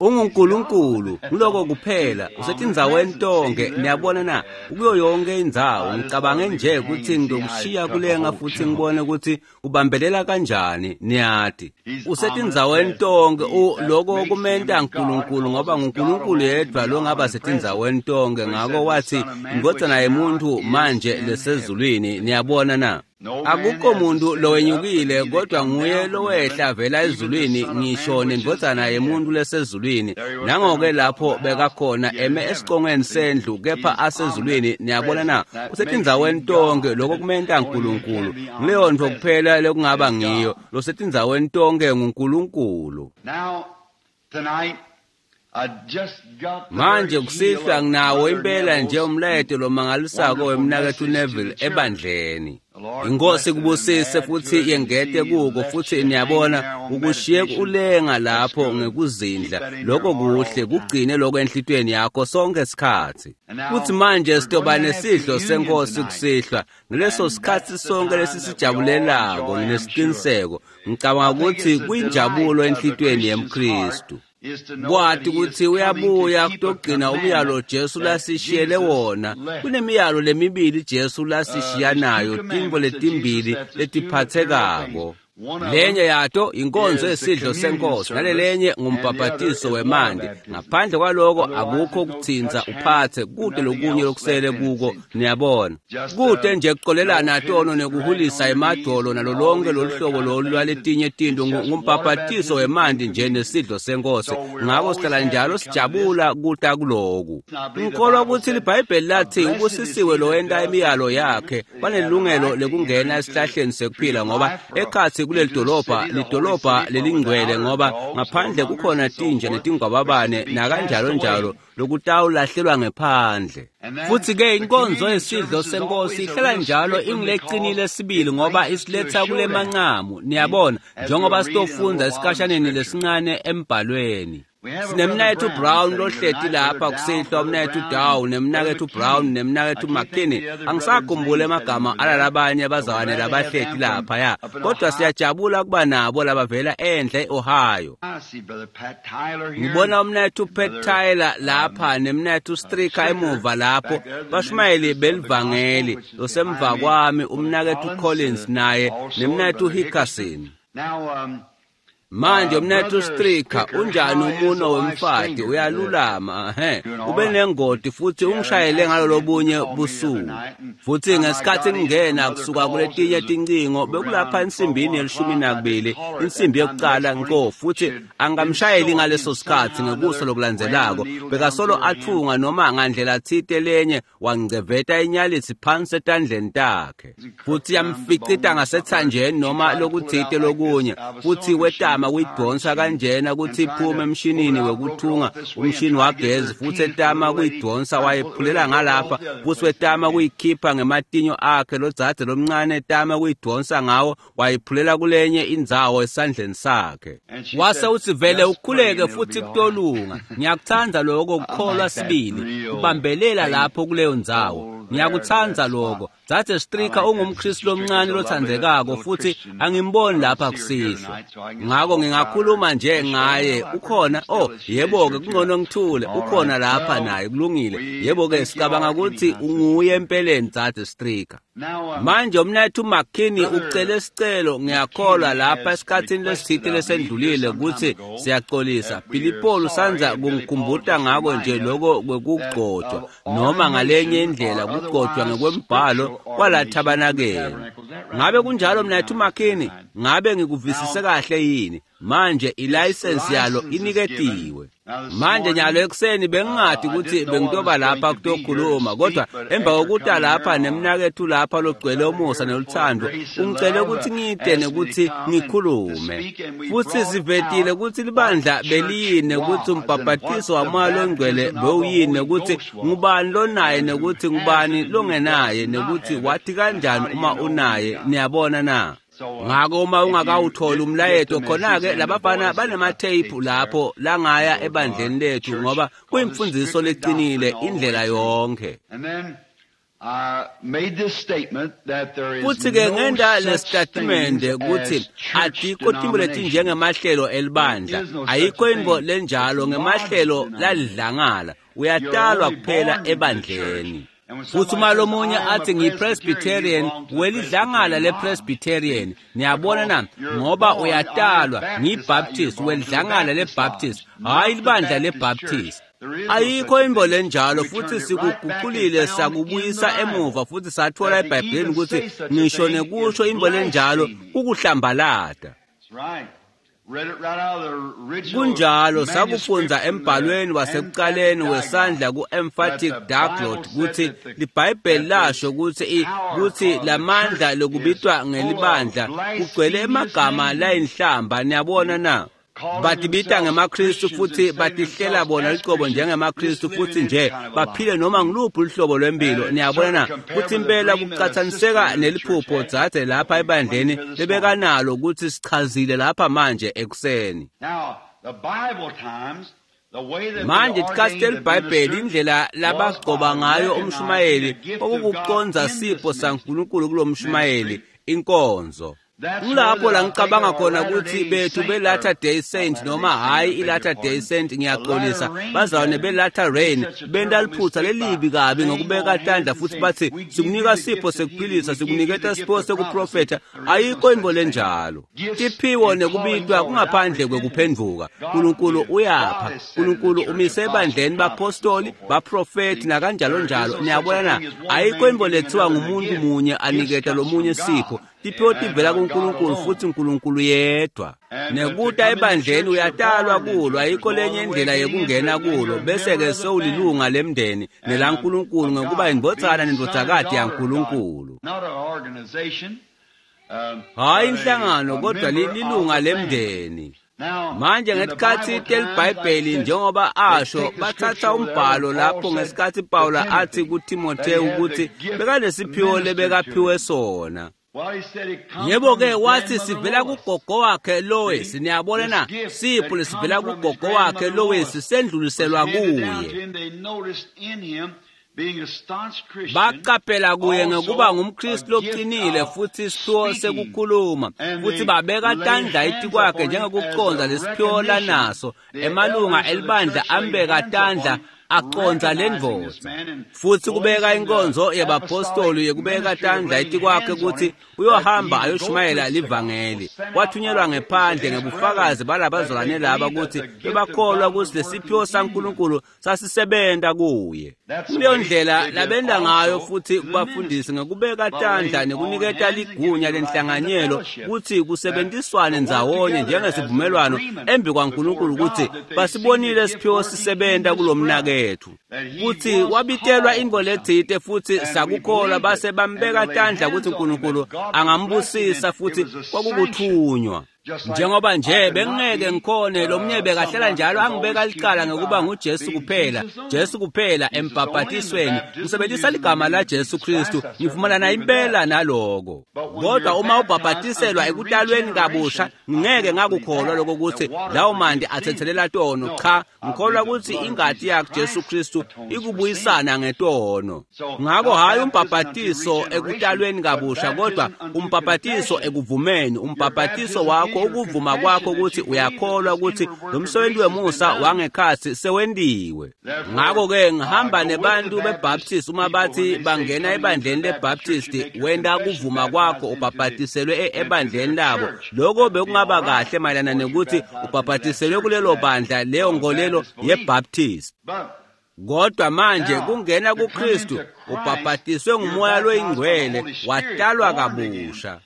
UnguNkulunkulu, ngiloko kuphela, usetindzaweni tonke, niyabona na, kuyo yonke indzawo. Ngicabange nje ukuthi ngizokushiya kulenga futhi ngibone ukuthi ubambelela kanjani, niyati. Usetindzaweni tonke, lokho kumenta uNkulunkulu ngoba nguNkulunkulu yedwa longaba setindzaweni tonke. Ngakho wathi indvodzana yemuntu manje lesezulwini, niyabona na. Akukho muntu lowenyukile kodwa nguye lowehla vela ezulwini, ngisho nendvodzana yemuntu lesezulwini. Nangoke lapho bekakhona eme esicongweni sendlu, kepha asezulwini, niyabona na, usetindzaweni tonke. Lokho kumenta uNkulunkulu. Nguleyo ntfo kuphela lekungaba ngiyo, losetindzaweni tonke nguNkulunkulu. Manje kusihlwa nginawo impela nje umlayeto lomangalisako wemnaketfu Neville ebandleni. Inkosi kubusise futhi yengete kuko, futhi niyabona ukushiye ulenga lapho ngekuzindla. Lokho kuhle, kugcine lokho enhlitiyweni yakho sonke isikhathi. Futhi manje sitoba nesidlo senkosi kusihlwa, ngaleso sikhathi sonke lesisijabulelako. Nginesiqiniseko, ngicabanga ukuthi kuyinjabulo enhlitiyweni yemKristu kwati ukuthi uyabuya kutogcina umyalo Jesu lasishiyele wona. Kunemiyalo lemibili Jesu lasishiya nayo, tintfo letimbili letiphathekako. Lenye yato inkonzo yesidlo senkosi, nalelenye ngumbhabhatiso wemanti. Ngaphandle kwaloko akukho ukuthinta uphathe kude lokunye lokusele kuko, niyabona. Kude nje kuxolelana tono nekuhulisa emadolo nalo lonke lolu hlobo lolu lwaletinye tinto, ngumbhabhatiso wemanti nje nesidlo senkosi. Ngako sihlala njalo sijabula kuta kuloku. Ngikholwa ukuthi liBhayibheli lathi ubusisiwe lowenta imiyalo yakhe, banelungelo lekungena esihlahleni sekuphila, ngoba ekhatsi kuleli dolobha, lidolobha lelingcwele, ngoba ngaphandle kukhona tinja netingwababane nakanjalo njalo lokutawulahlelwa ngephandle. Futhi-ke inkonzo yesidlo senkosi ihlala njalo ingileqinile sibili, ngoba isiletha kule mancamu, niyabona, njengoba sitofundza esikhashaneni lesincane embhalweni. Sinemnaketfu Brown lohleti lapha kusihlwa, umnaketfu Dow, nemnaketfu Brown, nemnaketfu McKinney. Angisakhumbuli emagama alalabanye abazalwane labahleti lapha ya, kodwa siyajabula kuba nabo labavela enhle e-Ohio. Ngibona umnaketfu Pat Tyler lapha nemnaketfu Stricker emuva lapho, bashumayeli belivangeli. Losemva kwami umnaketfu Collins naye nemnaketfu Hickerson. Manje umnaketfu Stricker, unjani umuno wemfati? Uyalulama? Ehe, ube nengoti futhi ungishayele ngalo lobunye busuku. Futhi ngesikhathi ngingena kusuka kuletinye tincingo bekulapha insimbini ye-12, insimbi yokucala nko, futhi angamshayeli ngaleso sikhathi. Ngekusa lokulandzelako bekasolo atfunga noma ngandlela tsite lenye, wangceveta inyalitsi phansi etandleni takhe futhi yamficita ngasethanjeni noma lokutsite lokunye, futhi wetama kuyidonsa kanjena ukuthi iphume emshinini wekuthunga, umshini wagezi, futhi etama kuyidonsa wayephulela ngalapha, futhi wetama kuyikhipha ngematinyo akhe lodzadze lomncane, etama kuyidonsa ngawo, wayiphulela kulenye indzawo esandleni sakhe. Wase uthi vele ukhuleke futhi kutolunga. Ngiyakuthanda lokho kukholwa sibili, kubambelela lapho kuleyo ndzawo. Ngiyakuthanda lokho. Dzadze Stricker ungumKristu lomncane lothandekako, futhi angimboni lapha kusihlwa, ngako ngingakhuluma nje ngaye. Ukhona? Oh, yebo-ke, kungcono ngithule. Ukhona lapha naye, kulungile. Yebo-ke, sicabanga ukuthi unguye empeleni Dzadze Stricker. Manje umnaketfu McKinney ucele sicelo, ngiyakholwa lapha esikhatsini lesitsite lesendlulile, kutsi siyacolisa. Billy Paul usandza kungikhumbuta ngako nje loko kwekugcotshwa noma ngalenye indlela kugcotshwa ngekwembhalo kwala thabanakeli. Ngabe kunjalo, mnaketfu McKinney? Ngabe ngikuvisise kahle yini? Manje ilayisensi yalo iniketiwe. Manje nyalo ekuseni bengingati ukuthi bengitoba lapha kutokhuluma, kodwa emva kokuta lapha nemnaketfu lapha logcwele umusa neluthando ungicele ukuthi ngite nekuthi ngikhulume, futhi sivetile ukuthi libandla beliyini, ukuthi umbhabhatiso wamoya longcwele bewuyini, nekuthi ngubani lonaye nekuthi ngubani longenaye, nekuthi wathi kanjani uma unaye, niyabona na. Ngako uma ungakawutholi umlayeto, khona-ke labafana banematheyiphu lapho langaya ebandleni lethu, ngoba kuyimfundziso leqinile indlela yonke. Futsi-ke ngenta lesitatimende kutsi atikho tintfo letinjengemahlelo elibandla, ayikho intfo lenjalo ngemahlelo lalidlangala, uyatalwa kuphela ebandleni. Futsi uma lomunye athi ngiyipresbyterian, welidlangala lepresbyterian, niyabona na, ngoba uyatalwa, ngiyibaptist, welidlangala lebaptist, hhayi libandla lebaptist. Ayikho intfo lenjalo, futsi sikuguculile sakubuyisa emuva futsi satfola eBhayibhelini kutsi ngisho nekusho intfo lenjalo kukuhlambalata. Kunjalo, sakufundza embhalweni wasekucaleni wesandla ku-emphatic diaglott kutsi liBhayibheli lasho kutsi kutsi lamandla lokubitwa ngelibandla kugcwele emagama layinhlamba, niyabona na? Batibita ngemaKristu futsi batihlela bona licobo njengemaKristu futsi nje baphile noma ngiluphi luhlobo lwempilo, niyabona na? Kutsi impela kucatsaniseka neliphupho dzadze lapha ebandleni lebekanalo kutsi sichazile lapha manje ekuseni. Manje tikhatsi teliBhayibheli indlela labagcoba ngayo umshumayeli kwakukucondza sipho saNkulunkulu kulomshumayeli, inkonzo. Kulapho la ngicabanga khona kutsi bethu be-Latter Day Saint noma hhayi i-Latter Day Saint, ngiyaxolisa, bazalwane be-Latter Rain benta liphutsa lelibi kabi ngokubeka tandla futsi batsi sikunika sipho sekuphilisa, sikuniketa sipho sekuprofetha. Ayikho intfo lenjalo. Tiphiwo nekubitwa kungaphandle kwekuphendvuka. Nkulunkulu uyapha. Nkulunkulu umise ebandleni bapostoli, baprofethi nakanjalo njalo. Niyabona na? Ayikho intfo lethiwa ngumuntu munye aniketa lomunye sipho. Tiphiwo tivela kuNkulunkulu futsi uNkulunkulu yedwa. Nekuta ebandleni uyatalwa kulo, ayikho lenye indlela yekungena kulo, bese-ke sewulilunga lemndeni nelaNkulunkulu ngekuba indvodzana nendvodzakati yaNkulunkulu. Hhayi inhlangano kodwa lilunga lemndeni. Manje ngetikhatsi teliBhayibheli njengoba asho batsatsa umbhalo lapho ngesikhatsi Pawula athi kuThimothewu kutsi bekanesiphiwo lebekaphiwe sona. Yebo-ke wathi sivela kugogo wakhe Lois, niyabona na, sipho lesivela kugogo wakhe Lois sendluliselwa kuye. Baqaphela kuye ngekuba ngumKristu loqinile futsi isiphiwo sekukhuluma, futsi babeka tandla etikwakhe njengekucondza lesiphiwo lanaso. Emalunga elibandla ambeka tandla acondza lendvodza, futsi kubeka inkonzo yebapostoli yekubeka tandla etikwakhe kutsi uyohamba ayoshumayela livangeli. Wathunyelwa ngephandle ngebufakazi balabazalwane laba kutsi bebakholwa kutsi lesiphiwo saNkulunkulu sasisebenta kuye. Kuleyo ndlela labenta ngayo futsi kubafundisi ngekubeka tandla nekuniketa ligunya lenhlanganyelo kutsi kusebentiswane ndzawonye njengesivumelwano embi kwaNkulunkulu kutsi basibonile siphiwo sisebenta kulomnaketfu, kutsi wabitelwa intfo letsite futsi sakukholwa base bambeka tandla kutsi Nkulunkulu angambusisa futsi kwakukuthunywa. Njengoba nje bengingeke ngikhone, lomunye bekahlala njalo angibeka licala ngekuba nguJesu kuphela, Jesu kuphela embhabhatisweni, ngisebenzisa ligama la Jesu Kristu, ngivumelana impela naloko. Kodwa uma ubhabhatiselwa ekutalweni kabusha, ngingeke ngakukholwa lokho kutsi lawo manti athethelela tono. Cha, ngikholwa kutsi ingati yakhe Jesu Kristu ikubuyisana ngetono. Ngako hhayi umbhabhatiso ekutalweni kabusha, kodwa umbhabhatiso ekuvumeni, umbhabhatiso wakho ukuvuma kwakho kutsi uyakholwa kutsi lo msebenzi wemusa wangekhatsi sewentiwe. Ngako-ke ngihamba nebantu beBaptist uma bathi bangena ebandleni leBaptist, wenta kuvuma kwakho ubhabhatiselwe ebandleni labo. Lokho bekungaba kahle mayelana nekuthi ubhabhatiselwe kulelo bandla, leyo nkolelo yeBaptist. Kodwa manje kungena kuKristu ubhabhatiswe nguMoya loyiNgcwele, watalwa kabusha.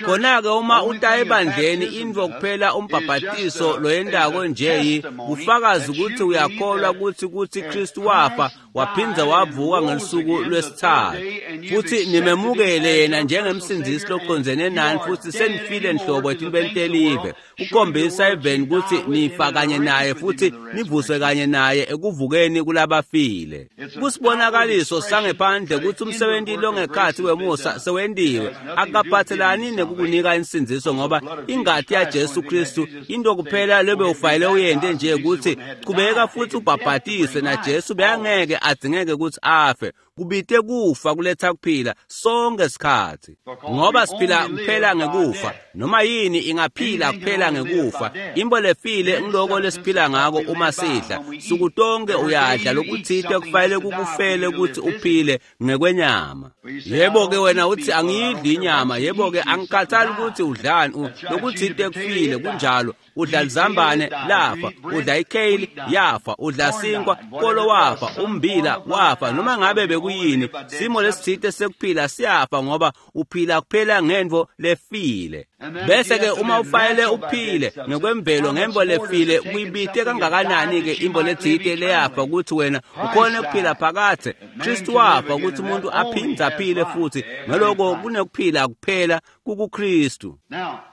Khona-ke uma uta ebandleni, intfo kuphela umbhabhatiso loyentako nje kufakazi kutsi uyakholwa kutsi kutsi Kristu wafa waphindze wavuka ngelusuku lwesitsatfu, futsi nimemukele yena njengemsindzisi locondzene nani, futsi senifile nhlobo etintfweni telive, kukhombisa eveni kutsi nifa kanye naye futsi nivuswe kanye naye ekuvukeni kulabafile. Kusibonakaliso sangephandle kutsi umsebenti longekhatsi wemusa sewentiwe. Akaphathelani nekukunika insindziso, ngoba ingati yaJesu Kristu into kuphela lebe ufanele uyente nje ukuthi qhubeka futhi ubhabhatise, naJesu beyangeke adzingeke ukuthi afe. Kubite kufa kuletha kuphila sonke isikhathi, ngoba siphila kuphela ngekufa. Noma yini ingaphila kuphela ngekufa. Imbo lefile ngiloko lesiphila ngako uma sidla. Suku tonke uyadla lokuthite kufanele kukufele ukuthi uphile ngekwenyama. Yebo-ke wena uthi angiyidli inyama, yebo-ke angikhathali ukuthi udlani, lokuthite kufile, kunjalo. Udla lizambane lafa, udla ikheyili yafa, udla sinkwa kolo wafa, umbila wafa, noma ngabe bekuyini, simo lesithite sekuphila siyafa, ngoba uphila kuphela ngentfo lefile. Bese-ke uma ufanele uphile ngekwemvelo ngemvo lefile, kuyibite kangakanani-ke imvo letsite leyafa ukuthi wena ukhone kuphila phakadze. Kristu wafa ukuthi umuntu aphindze aphile futhi, ngaloko kunekuphila kuphela kukuKristu.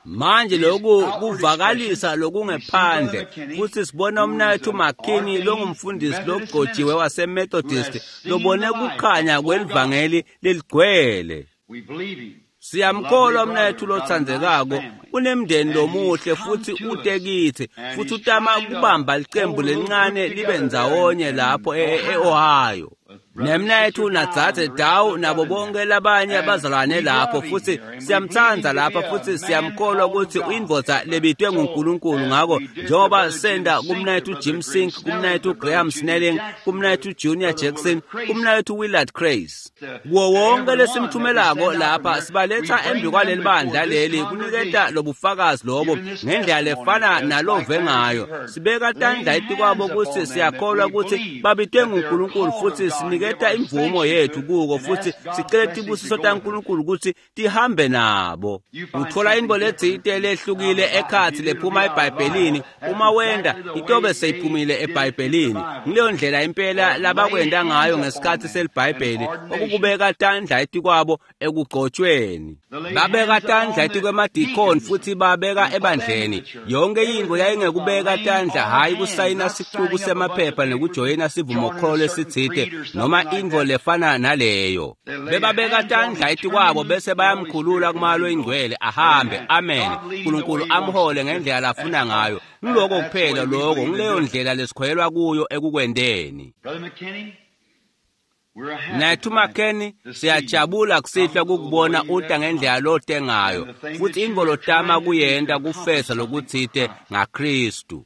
Manje lokhu kuvakalisa lokungephandle, futhi sibona umnaketfu McKinney longumfundisi logcotshiwe waseMethodist lobone kukhanya kwelivangeli leligcwele. Siyamkholwa umnaketfu lotsandzekako, unemndeni lomuhle futhi ute kitsi, futhi utama kubamba licembu lelincane libe ndzawonye lapho e-Ohio. Nemnaketfu nadzadze Dawu nabo bonke labanye abazalwane lapho, futhi siyamtsandza lapha, futhi siyamkholwa ukuthi uyindvodza lebitwe nguNkulunkulu. Ngako njengoba senda kumnaketfu Jim Sink, kumnaketfu Graham Snelling, kumnaketfu Junior Jackson, kumnaketfu Willard Craze, kuwo wonke lesimthumelako lapha, sibaletha embi kwaleli bandla leli kuniketa lobufakazi lobo ngendlela lefana nalove ngayo. Sibeka tandla etikwabo ukuthi siyakholwa ukuthi babitwe nguNkulunkulu, futhi siniketa imvumo yethu kuko, futhi sicele tibusiso taNkulunkulu ukuthi tihambe nabo. Uthola intfo letsite lehlukile ekhatsi lephuma eBhayibhelini, uma wenda itobe seyiphumile eBhayibhelini. Ngileyo ndlela impela labakwenta ngayo ngesikhathi seliBhayibheli, okukubeka tandla etikwabo ekugcotshweni. Babeka tandla etikwemadikoni futhi babeka ebandleni. Yonke intfo yayingekubeka tandla, hhayi kusayina sicuku semaphepha nekujoyina sivumokholo lesitsite noma intfo lefana naleyo. Bebabeka tandla etikwabo bese bayamkhulula kumalo ingcwele ahambe. Amen. Nkulunkulu amhole ngendlela lafuna ngayo. Ngiloko kuphela lokho, ngileyo ndlela lesikholelwa kuyo ekukwenteni. Mnaketfu McKinney, siyajabula kusihlwa kukubona uta ngendlela lote ngayo, futhi intfo lotama kuyenta kufeza lokutsite ngaKristu.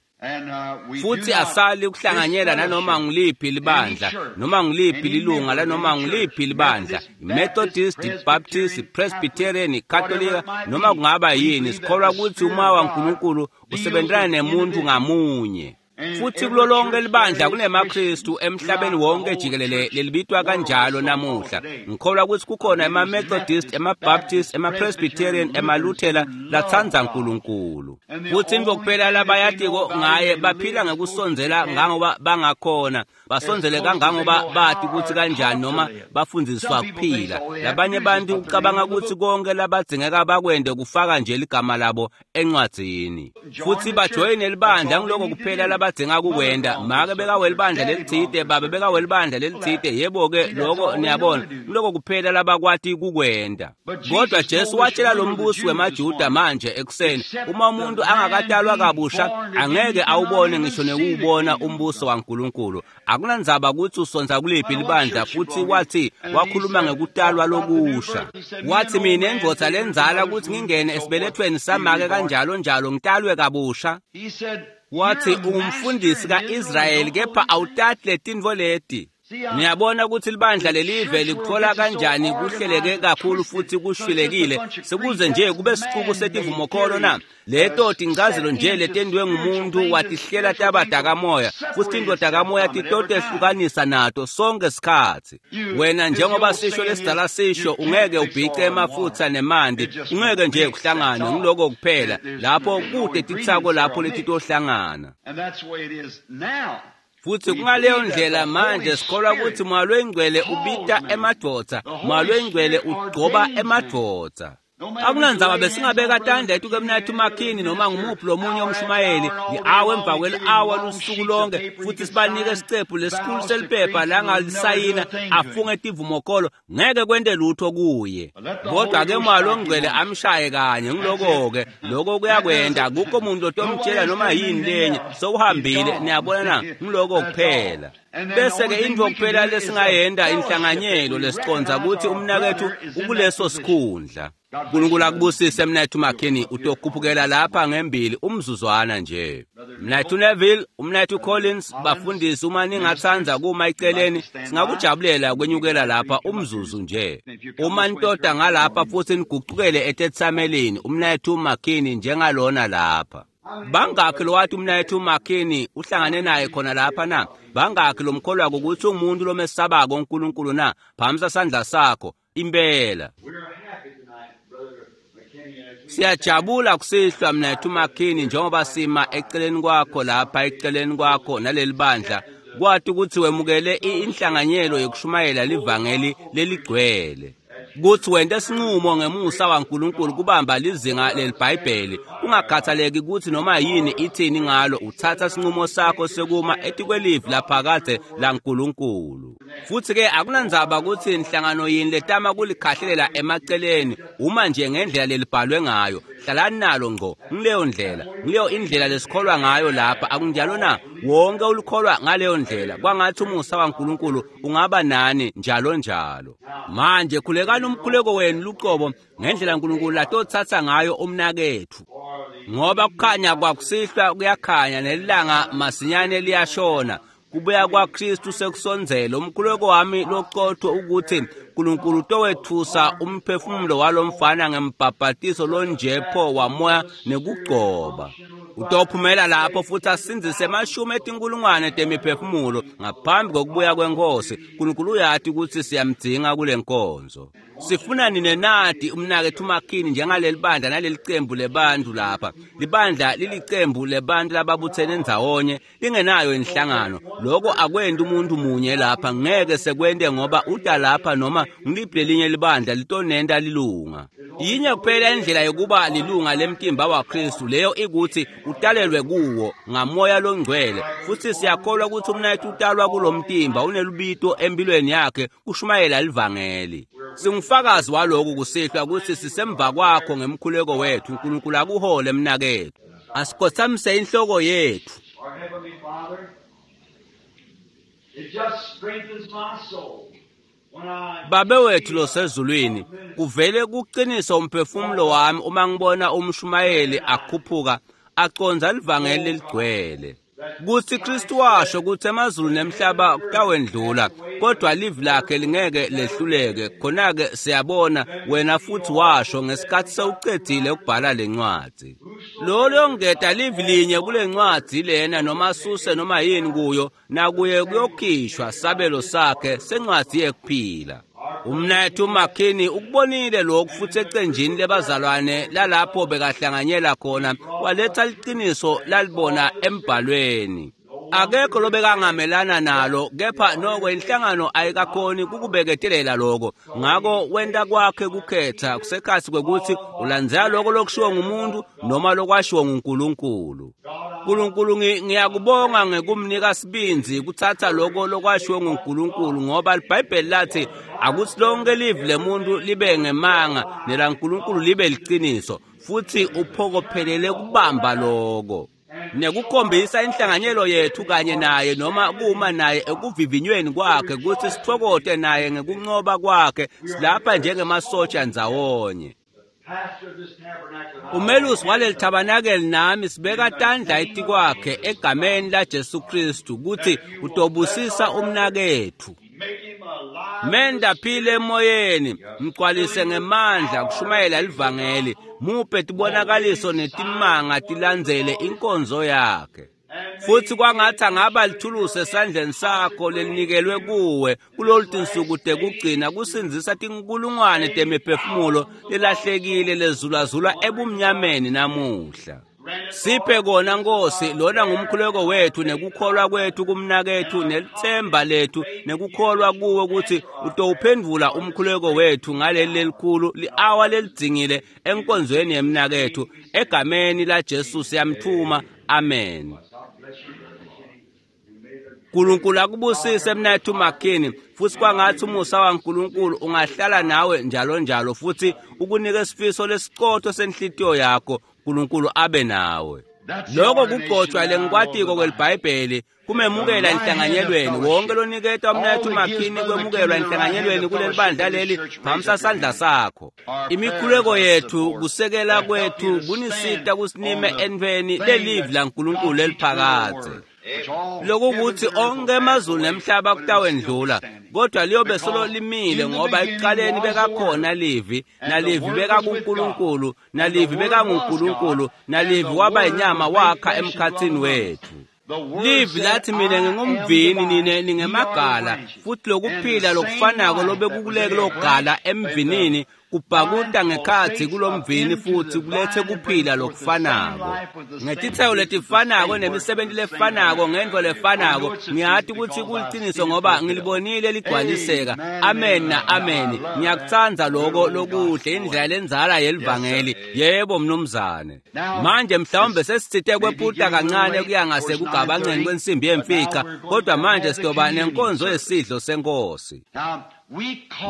Futhi asali kuhlanganyela nanoma nguliphi libandla, noma nguliphi lilunga lanoma nguliphi libandla, Methodist, Baptist, Presbyterian, Katolika, noma kungaba yini. Sikholwa ukuthi umoya waNkulunkulu usebenzana nemuntu ngamunye. Futhi kulo lonke libandla kunemaKristu emhlabeni wonke jikelele lelibitwa kanjalo namuhla. Ngikholwa ukuthi kukhona ema-Methodist, ema-Baptist, ema-Presbyterian, emaLuthela latsandza uNkulunkulu. Futhi intfo kuphela labayatiko ngaye, baphila ngekusondzela ngangoba bangakhona, basondzele kangangoba bati ukuthi kanjani noma bafundziswa kuphila. Labanye bantu ucabanga ukuthi konke labadzingeka bakwente kufaka nje ligama labo encwadzini, futhi bajoyine libandla, ngiloko kuphela labadzinga kukwenta. Make bekawelibandla lelitsite, babe bekawelibandla lelitsite, yebo-ke lokho niyabona, ngiloko kuphela labakwati kukwenta. Kodwa Jesu watshela lo mbusi wemaJuda manje ekuseni, uma umuntu angakatalwa kabusha angeke awubone ngisho nekuwubona umbuso waNkulunkulu. Akunandzaba ukuthi usonza kuliphi libandla. Futhi wathi wakhuluma ngekutalwa lokusha, wathi mina indvodza lendzala ukuthi ngingene esibelethweni samake kanjalo njalo ngitalwe kabusha. Wathi ungumfundisi ka-Israyeli kepha awutati letintfo leti. Niyabona ukuthi libandla lelive likuthola kanjani kuhleleke kakhulu futhi kushwilekile sekuze nje kube sicuku setivumokholo na. Leto tincazelo nje letentiwe ngumuntu watihlela taba takamoya, futhi tintfo takamoya titotehlukanisa nato sonke sikhatsi. Wena njengoba sisho lesidala sisho, ungeke ubhice emafutha nemanti, ungeke nje kuhlangane, ngiloko kuphela lapho kude titsako lapho letitohlangana. Futhi kungaleyo ndlela manje sikholwa ukuthi Moya loyiNgcwele ubita emadvodza, Moya loyiNgcwele ugcoba emadvodza. Akunandzaba besingabeka tandla etukemnathu Makhini noma ngumuphi lomunye umshumayeli ngi-awa emva kweli-awa lusuku lonke futhi sibanike isicephu lesikhulu seliphepha langalisayina afunge tivumokolo ngeke kwente lutho kuye. Kodwa ke Moya Longcwele amshaye kanye ngiloko-ke lokho kuyakwenta akukho muntu otomtshela noma yini lenye sewuhambile niyabona na ngiloko kuphela. Bese-ke intfo kuphela lesingayenta inhlanganyelo lesiconza kutsi umnaketfu ukuleso sikhundla. Nkulunkulu akubusise mnaketfu Makhini utokhuphukela lapha ngembili umzuzwana nje. Mnaketfu Neville, umnaketfu Collins, bafundisi uma ningatsandza kuma eceleni singakujabulela kwenyukela lapha umzuzu nje. Uma nitoda ngalapha futsi nigucukele etetsamelini umnaketfu Makhini njengalona lapha. Bangakhi lowati umnaketfu Makhini uhlangane naye khona lapha na? Bangakhi lomkholwako kutsi umuntu lomesabako uNkulunkulu na? Phamisa sandla sakho impela. Siyajabula kusihlwa mnaketfu Makhini njengoba sima eceleni kwakho lapha eceleni kwakho naleli bandla kwati kutsi wemukele inhlanganyelo yekushumayela livangeli leligcwele. Kutsi wente sinqumo ngemusa waNkulunkulu kubamba lizinga leliBhayibheli kungakhathaleki kutsi noma yini ithini ngalo uthatha sinqumo sakho sekuma etikwelivi laphakadze laNkulunkulu. Futsi-ke akunandzaba kutsi inhlangano yini letama kulikhahlelela emaceleni uma nje ngendlela lelibhalwe ngayo hlalani nalo ngco ngileyo ndlela ngileyo indlela lesikholwa ngayo lapha akunjalo na? Wonke ulikholwa ngaleyo ndlela kwangathi umusa waNkulunkulu ungaba nani njalo njalo. Manje khulekani umkhuleko wenu luqobo ngendlela uNkulunkulu latothatha ngayo umnaketfu ngoba kukhanya kwakusihlwa kuyakhanya nelilanga masinyane liyashona kubuya kwaKristu sekusondzele. Umkhuleko wami loqotho ukuthi uNkulunkulu utowethusa umphefumulo walomfana ngembhabhatiso lonjepho wamoya nekugcoba. Utophumela lapho futhi asindzise emashumi etinkulungwane temiphefumulo ngaphambi kokubuya kwenkosi. uNkulunkulu uyati ukuthi siyamdzinga kule nkonzo. Sifuna nine nati umnaketfu Makhini njengaleli bandla naleli cembu lebantu lapha. Libandla lilicembu lebantu lababuthene ndzawonye lingenayo inhlangano. Lokho akwenti umuntu munye lapha ngeke sekwente ngoba uta lapha noma ngiliphi lelinye libandla litonenta lilunga. Yinye kuphela indlela yokuba lilunga lemtimba waKristu leyo ikuthi utalelwe kuwo ngamoya longcwele futhi siyakholwa ukuthi umnaketfu utalwa kulomtimba unelubito empilweni yakhe kushumayela livangeli. Singufakazi walokhu kusihlwa ukuthi sisemva kwakho ngemkhuleko wethu. uNkulunkulu akuhole mnaketfu. Asikhothamise inhloko yethu. Our Heavenly Father, it just strengthens my soul when I Babe wethu losezulwini, kuvele kuqinisa umphefumulo wami uma ngibona umshumayeli akhuphuka aconza livangeli leligcwele. Kutsi Kristu washo kutsi emazulu nemhlaba kutawendlula kodwa livi lakhe lingeke lehluleke. Khona-ke siyabona wena futhi washo ngesikhathi sewucedzile ukubhala lencwadzi. Lo longeta livi linye kule ncwadzi lena noma asuse noma yini kuyo nakuye kuyokhishwa sabelo sakhe sencwadzi yekuphila. Umnaketfu Makhini ukubonile lokhu futhi ecenjini lebazalwane lalapho bekahlanganyela khona waletha liqiniso lalibona embhalweni. Akekho lobekangamelana nalo kepha noko inhlangano ayikakhoni kukubeketelela lokho. Ngako wenta kwakhe kukhetha kusekhatsi kwekuthi ulandzela lokho lokushiwo ngumuntu noma lokwashiwo nguNkulunkulu. Nkulunkulu ngiyakubonga ngekumnika sibindzi kuthatha lokho lokwashiwo nguNkulunkulu ngoba iBhayibheli lathi akuthi lonke livi lemuntu libe ngemanga nelaNkulunkulu libe liqiniso futhi uphokophelele kubamba lokho nekukhombisa inhlanganyelo yethu kanye naye noma kuma naye ekuvivinyweni kwakhe kutsi sitfokote naye ngekuncoba kwakhe silapha njengemasotsha ndzawonye. pastor of this tabernacle and I Umelusi waleli tabernacle nami sibeka tandla etikwakhe egameni laJesu Kristu kutsi utobusisa umnaketfu. make him alive. Menda aphile emoyeni, mgcwalise ngemandla kushumayela livangeli, muphe tibonakaliso netimanga tilandzele inkonzo yakhe. Futhi kwangathi angaba lithulusi esandleni sakho lelinikelwe kuwe kulolu tinsuku tekugcina kusindzisa tinkulungwane temiphefumulo lelahlekile lezulazula ebumnyameni namuhla. Siphe kona Nkosi, lona ngumkhuleko wethu nekukholwa kwethu kumnakethu nelithemba lethu nekukholwa kuwe ukuthi utowuphendvula umkhuleko wethu ngaleli lelikhulu li-awa lelidzingile enkonzweni yemnakethu. Egameni laJesu siyamthuma, amen. Nkulunkulu akubusise mnakethu McKinney, futhi kwangathi umusa waNkulunkulu ungahlala nawe njalo njalo futhi ukunike isifiso lesiqotho senhlitiyo yakho. Nkulunkulu abe nawe. Lokho kugcotshwa lengikwatiko kweliBhayibheli kumemukela enhlanganyelweni. Wonke loniketa umnakethu McKinney kwemukelwa enhlanganyelweni kuleli bandla leli, phamisa sandla sakho. Imikhuleko yethu, kusekela kwethu kunisita kusinime entfweni lelivi laNkulunkulu leliphakadze. Lokukuthi onke emazulu nemhlaba kutawendlula, kodwa liyobe solo limile, ngoba ekuqaleni bekakhona livi, nalivi bekakuNkulunkulu, nalivi bekanguNkulunkulu, nalivi waba inyama wakha emkhathini wethu. Livi lathi, mina ngingumvini, nine ningemagala, futhi lokuphila lokufanako lobekukuleke logala emvinini kubhakuta ngekhatsi kulomvini futhi kulethe kuphila lokufanako ngetitselo letifanako nemisebenti lefanako ngento lefanako. Ngiyati ukuthi kuliciniso ngoba ngilibonile ligcwaliseka. Amen na amen. Ngiyakutsandza loko lokuhle, indlela lenzala yelivangeli. Yebo mnumzane. Manje mhlawumbe sesitsite kwephuta kancane kuya ngasekugabanceni kwensimbi yemfica, kodwa manje sizoba nenkonzo yesidlo senkosi.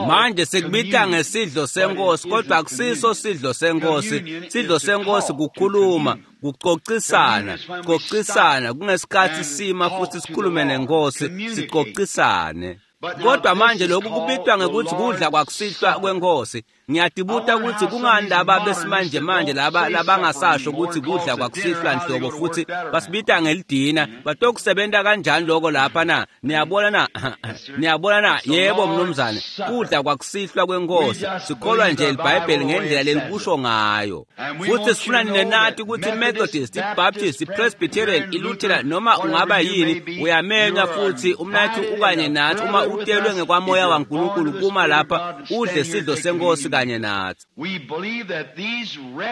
Manje sikubita ngesidlo senkosi, kodwa akusiso sidlo senkosi. Sidlo senkosi kukhuluma, kucocisana, cocisana kungesikhathi sima futhi sikhulume nenkosi, sicocisane. Kodwa manje lokhu kubitwa ngekuthi kudla kwakusihlwa kwenkosi. Ngiyadibuta ukuthi kungani laba besimanje manje laba labangasasho ukuthi kudla kwakusihlwa nhlobo futhi basibita ngelidina. Batokusebenta kanjani lokho lapha na? Niyabona na? Niyabona na? Yebo mnumzane, kudla kwakusihlwa kwenkosi. Sikholwa nje iBhayibheli ngendlela lelikusho ngayo. Futhi sifuna nine nathi ukuthi iMethodist, iBaptist, iPresbyterian, iLutheran, noma ungaba yini, uyamenywa futhi umnathu ukanye nathi uma utelwe ngekwamoya waNkulunkulu kuma lapha udle sidlo senkosi kanye nathi.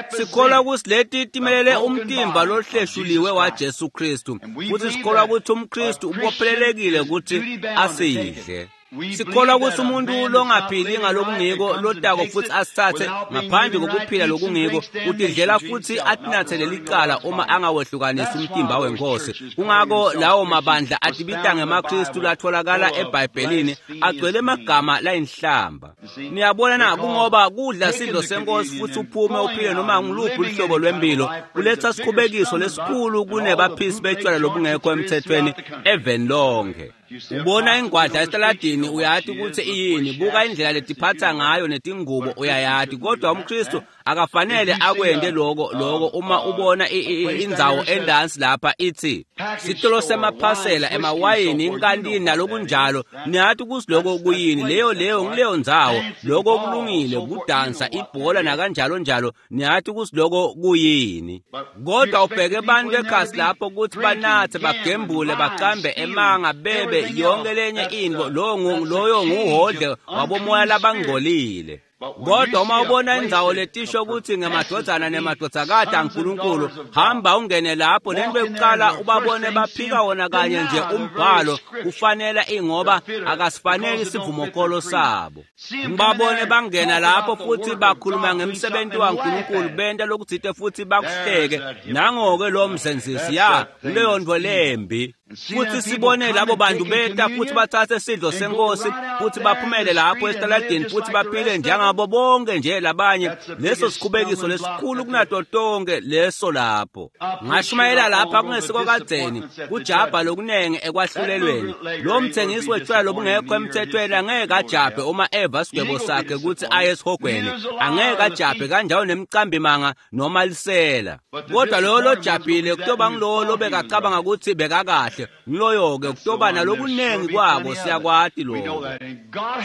Sikholwa ukuthi leti timelele umtimba lohleshuliwe waJesu Kristu, futhi sikholwa ukuthi umKristu ubophelelekile ukuthi asidle. Sikholwa ukuthi umuntu longaphili ngalokungiko lotako futhi asithathe ngaphandle kokuphila lokungiko utidlela futhi atinathe lelicala uma angawehlukanisi umtimba wenkosi. Kungako lawo mabandla atibita ngemaKristu latholakala eBhayibhelini agcwele emagama layinhlamba. Niyabona na? Kungoba kudla sidlo senkosi futhi uphume uphile noma ngiluphi uhlobo lwempilo kuletha sikhubekiso lesikhulu kunebaphisi betshwala lobungekho emthethweni eveni lonke. Ubona ingwadla esitaladini uyati ukuthi iyini, buka indlela letiphatha ngayo netingubo uyayati, kodwa umKristu akafanele akwente lokho. Lokho uma ubona indzawo endansi lapha ithi sitolo semaphasela emawayini inkantini nalokunjalo, niyati ukuthi lokho kuyini. Leyo leyo ngileyo ndzawo, lokho kulungile, kudansa ibhola nakanjalo njalo, niyati ukuthi lokho kuyini. Kodwa ubheke abantu ekhasi lapho ukuthi banathe, bagembule, bacambe emanga, bebe yonke lenye into, loyo nguhodle wabomoya labangcolile. Kodwa uma ubona indzawo letisho ukuthi ngemadvodzana nemadvodzakati aNkulunkulu, hamba ungene lapho, lento yokuqala ubabone baphika wona kanye nje umbhalo kufanele, ingoba akasifanele isivumokolo sabo. Ngibabone bangena lapho futhi bakhuluma ngemsebenzi waNkulunkulu, benta lokutsite futhi bakuhleke. Nangoke lo mzenzisi ya leyo nto lembi. Futhi sibone labo bantu beta futhi bathathe sidlo senkosi futhi baphumele lapho esitaladini futhi baphile njengabo bonke nje labanye. Leso sikhubekiso lesikhulu kunato tonke leso lapho. Ngashumayela lapha kungesiko kadzeni kujabha lokunenge ekwahlulelweni. Lo mthengisi wetshwala lobungekho emthethweni angeke ajabhe uma eva sigwebo sakhe ukuthi aye esihogweni, angeke ajabhe kanjalo nemcambi manga noma lisela. Kodwa loyo lojabhile kutoba ngilowo lobekacabanga ukuthi bekakahle, ngiloyo-ke kutoba nalokunengi kwabo, siyakwati lokho.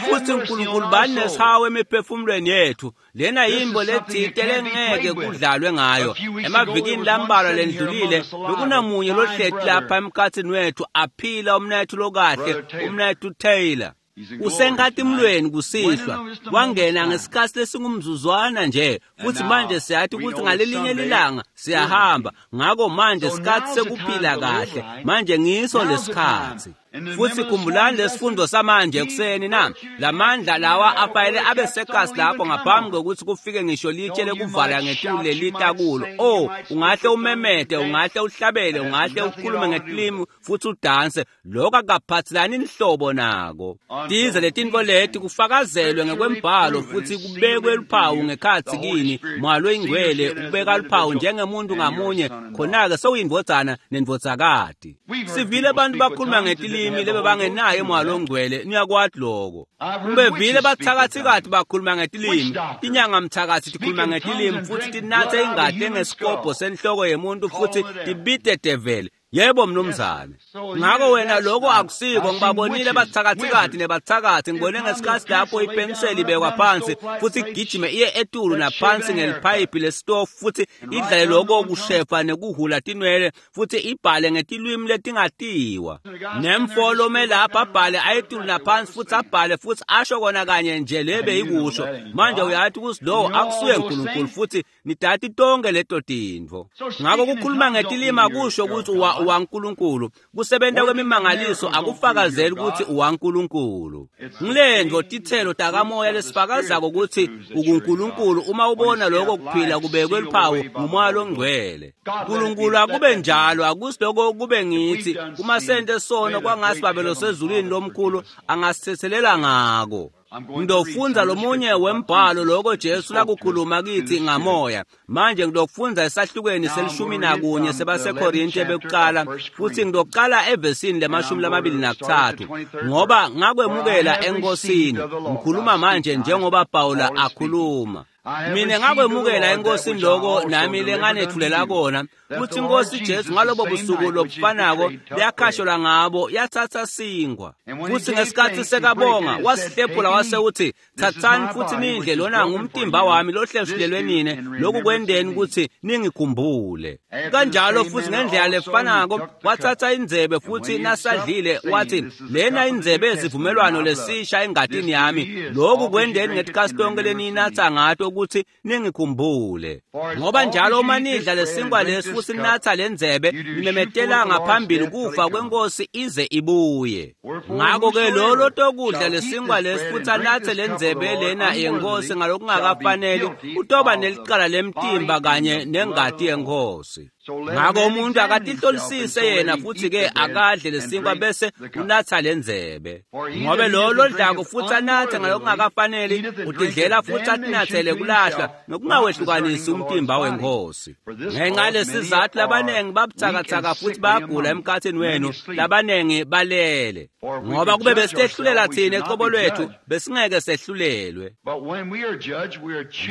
Futhi uNkulunkulu bani nesihawu emiphefumulweni yethu. Lena yimbo letsite lengeke kudlalwe ngayo. Emavikini lambalwa lendlulile bekunamunye lohleti lapha emkhathini wethu aphila, umnethu lokahle, umnethu Taylor. Usenkatimulweni kusihlwa, wangena ngesikhatsi lesingumzuzwana nje, futhi manje siyathi ukuthi ngalelinye lilanga siyahamba. Ngako manje sikhatsi sekuphila kahle, manje ngiso lesikhatsi. Futhi khumbulani lesifundo samanje ekuseni na lamandla lawa afanele abe sekasi lapho ngaphambi kokuthi kufike ngisho litshe lekuvala ngetulu lelita kulo. Oh, ungahle umemete, ungahle uhlabele, ungahle ukhulume ngetilimi futhi udanse, lokho akaphathelani inhlobo nako. Tize letintfo leti kufakazelwe ngekwembhalo futhi kubekwe luphawu ngekhatsi kini, Moya loyiNgcwele ubeka luphawu njengemuntu ngamunye, khona-ke sewuyindvodzana nendvodzakati. Sivile abantu bakhuluma ngetilimi lebe bangenaye Moya loNgcwele, niyakwati lokho. Ngibevile bathakathikati bakhuluma ngetilimi, tinyanga mthakathi tikhuluma ngetilimi futhi tinatse ingati engesikobho senhloko yemuntu futhi tibite develi. Yebo mnumzane. Ngako wena lokho akusiko. Ngibabonile bathakathikati nebathakathi, ngibone ngesikhatsi lapho ipeniseli ibekwa phansi futhi igijime iye etulu naphansi ngeliphayiphi lesitofu futhi idlale lokho kushefa nekuhula tinwele futhi ibhale ngetilwimi letingatiwa. Nemfo lome lapha abhale ayetulu naphansi futhi abhale futhi asho kona kanye nje lebe ikusho. Manje uyathi ukuthi lowo akusuye uNkulunkulu futhi nidati tonke leto tintfo. Ngako kukhuluma ngetilimi akusho ukuthi uwaNkulunkulu. Kusebenta kwemimangaliso akufakazeli ukuthi uwaNkulunkulu. Ngilendvo tithelo takamoya lesifakazako ukuthi ukuNkulunkulu uma ubona lokho kuphila kubekwe luphawu nguMoya loNgcwele. Nkulunkulu akube njalo, akusiloko kube ngithi uma sente sono kwangasi Babelo sezulwini lomkhulu angasithethelela ngako. Ngidofundza lomunye wembhalo lokho Jesu lakukhuluma kithi ngamoya. Manje ngidofundza esahlukweni se-11 sebaseKorinte bekuqala, futhi ngidoqala evesini le-23, ngoba ngakwemukela eNkosini. Ngikhuluma manje njengoba Pawula akhuluma. Mina ngakwemukela eNkosini lokho nami lenganethulela kona, kuthi iNkosi Jesu ngalobo busuku lobufanako yakhashelwa ngabo yathatha sinkwa, futhi ngesikhatsi sekabonga wasihlephula wase uthi, thathani futhi nidle, lona ngumtimba wami lohleshulelwe nine, lokhu kwendeni ukuthi ningikhumbule. Kanjalo futhi ngendlela lefanako wathatha indzebe futhi nasadlile wathi, lena indzebe yesivumelwano lesisha engatini yami, lokhu kwendeni ngetikhatsi tonke leninatsa ngato ukuthi ningikhumbule. Ngoba njalo uma nidla lesinkwa lesi futhi ninatha lendzebe, nimemetela ngaphambili kufa kweNkosi ize ibuye. Ngako-ke lo lotokudla lesinkwa lesi futhi anathe lendzebe lena yeNkosi ngalokungakafaneli utoba nelicala lemtimba kanye nengati yeNkosi. Ngako umuntu akatihlolisise yena futhi-ke akadle lesinkwa bese unatha lendzebe. Ngobe lo lodlako futhi anathe ngalokungakafaneli utidlela futhi atinathele kulahlwa nokungawehlukanisi umtimba weNkosi. Ngenxa lesizathu labanengi babuthakathaka futhi bayagula emkhathini wenu, labanengi balele. Ngoba kube besitehlulela thina ecobo lwethu, besingeke sehlulelwe.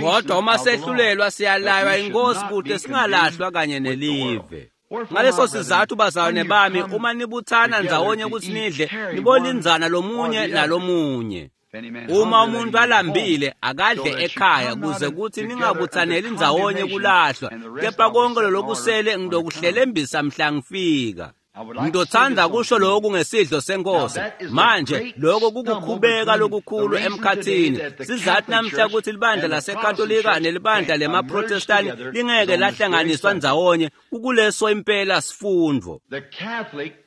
Kodwa uma sehlulelwa siyalaywa iNkosi kude singalahlwa kanye nelive. Ngaleso sizathu bazalwane bami, uma nibuthana ndzawonye ukuthi nidle, nibolindzana lomunye nalomunye. Uma umuntu alambile akadle ekhaya kuze kuthi ningabuthaneli ndzawonye kulahlwa, kepha konke lokusele ngidokuhlelembisa mhla ngifika. Ngidothanda kusho lokhu ngesidlo senkosi. Manje lokho kukukhubeka lokukhulu emkhathini. Sizathi namhla ukuthi libandla laseKatolika nelibandla lemaProtestani lingeke lahlanganiswa ndzawonye kukuleso impela sifundo.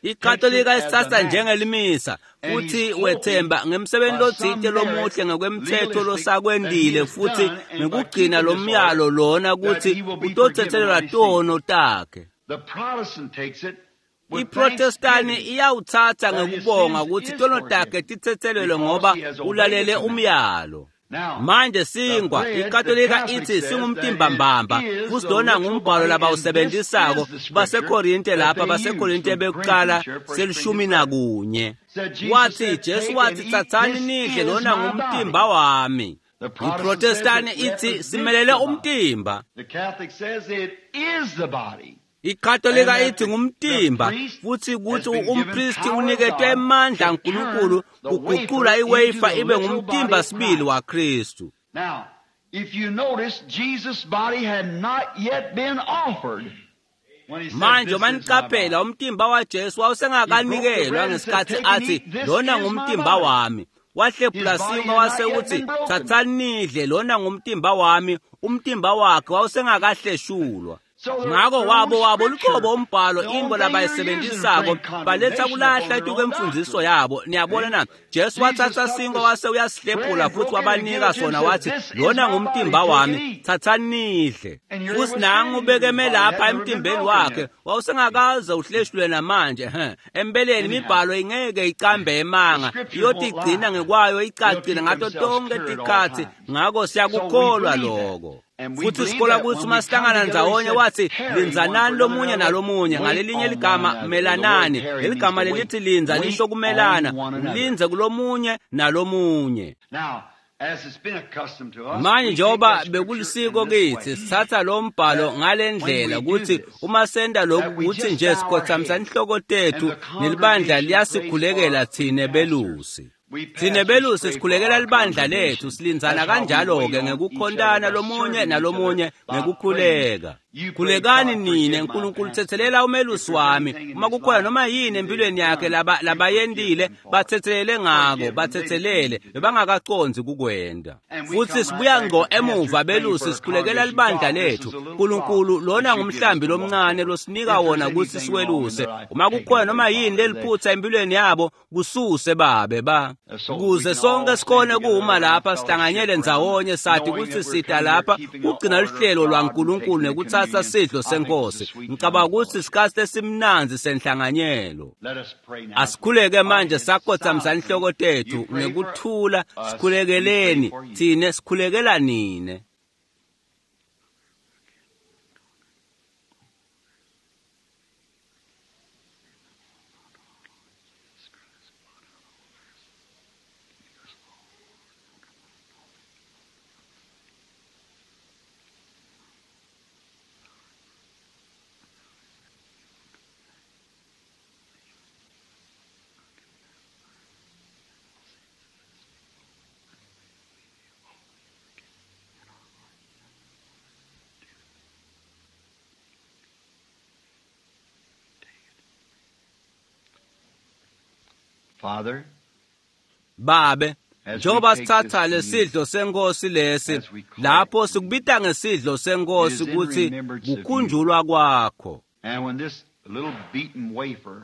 IKatolika isithatha njengelimisa futhi wethemba ngemsebenzi lotsite lomuhle ngokwemthetho losakwendile futhi ngekugcina lomyalo lona ukuthi utothethelelwa tono takhe. IProtestani iyawuthatha ngekubonga ukuthi tono takhe tithethelelwe ngoba ulalele umyalo. Manje sinkwa iKatolika ithi singumtimba mbamba futhi lona ngumbhalo labawusebenzisako baseKorinte lapha baseKorinte bekuqala se-11. Wathi Jesu wathi thathani nidle lona ngumtimba wami. IProtestani ithi simelele umtimba. IKatolika ithi ngumtimba futhi kuthi umpristi uniketwe emandla uNkulunkulu kuguqula iwafer ibe ngumtimba sibili waKristu. Now, if you notice, Jesus' body had not yet been offered. Manje maniqaphela umtimba waJesu wawusengakanikelwa ngesikhathi athi lona ngumtimba wami. Wahlephula sinkwa wase utsi, "Tsatsani nidle, lona ngumtimba wami." Umtimba wakhe wawusengakahleshulwa. Ngako wabo luqobo umbhalo into labayisebenzisako baletha kulahla etukemfundiso yabo. Niyabona na? Jesu wathatha sinkwa wase uyasihlephula futhi wabanika sona, wathi, "Lona ngumtimba wami, thathani nidle." Futhi nangu ubekeme lapha emtimbeni wakhe wawusengakaze uhleshulwe namanje. Empeleni imibhalo ingeke icambe emanga, iyothi igcina ngekwayo icacile ngato tonke tikhatsi. Ngako siyakukholwa lokho. Futhi sikholwa kutsi uma sihlangana ndzawonye, wathi, "Lindzanani lomunye nalomunye." Ngalelinye ligama, melanani. Leligama lelithi lindza lisho kumelana, ulindze kulomunye nalomunye. Manje njengoba bekulisiko kitsi, sithatha lo mbhalo ngale ndlela kutsi uma senta lokhu kutsi nje sikhothamisa inhloko tethu nelibandla liyasikhulekela thine belusi. Thine belusi sikhulekela libandla lethu, silindzana kanjalo-ke ngekukhontana lomunye nalomunye ngekukhuleka. Khulekani nine, Nkulunkulu tsetselela umelusi wami. Uma kukhona noma yini empilweni yakhe labayentile, batsetselele ngako, batsetselele, bebangakacondzi kukwenta. Futhi sibuya ngco emuva belusi sikhulekela libandla lethu. Nkulunkulu, lona ngumhlambi lomncane losinika wona kutsi siweluse. Uma kukhona noma yini leliphutsa empilweni yabo, kususe babe ba. Kuze sonke sikhone kuma lapha sihlanganyele ndzawonye, sathi kutsi sita lapha kugcina luhlelo lwaNkulunkulu nekuthatha sidlo senkosi. Ngicabanga kutsi sikhatsi lesimnandzi senhlanganyelo. Asikhuleke manje sakhothamisa inhloko tethu ngekuthula, sikhulekeleni thine, sikhulekela nine. Father, Babe, njengoba sithatha lesidlo senkosi lesi, lapho sikubita ngesidlo senkosi kutsi kukhunjulwa kwakho.